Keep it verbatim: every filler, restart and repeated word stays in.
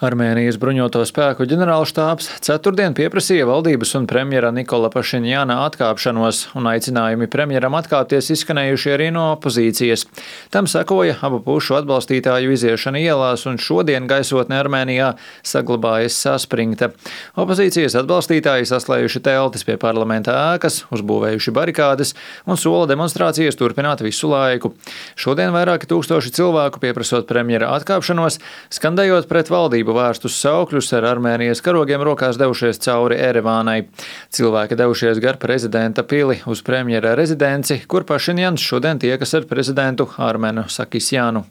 Armēnijas bruņoto spēku ģenerālštābs ceturtdien pieprasīja valdības un premjera Nikola Pašinjana atkāpšanos, un aicinājumi premjeram atkāpties izskanējuši arī no opozīcijas. Tam sekoja abu pušu atbalstītāju iziešana ielās, un šodien gaisotne Armēnijā saglabājas saspringta. Opozīcijas atbalstītāji saslējuši teltis pie parlamenta ēkas, uzbūvējuši barikādes un sola demonstrācijas turpināt visu laiku. Šodien vairāki tūkstoši cilvēku pieprasot premjera atkāpšanos, skandējot pret valdību vērstus saukļus ar Armēnijas karogiem rokās devušies cauri Erevānai. Cilvēki devušies gar prezidenta pili uz premjera rezidenci, kur Pašinjans šodien tiekas ar prezidentu Armenu Sakisjānu.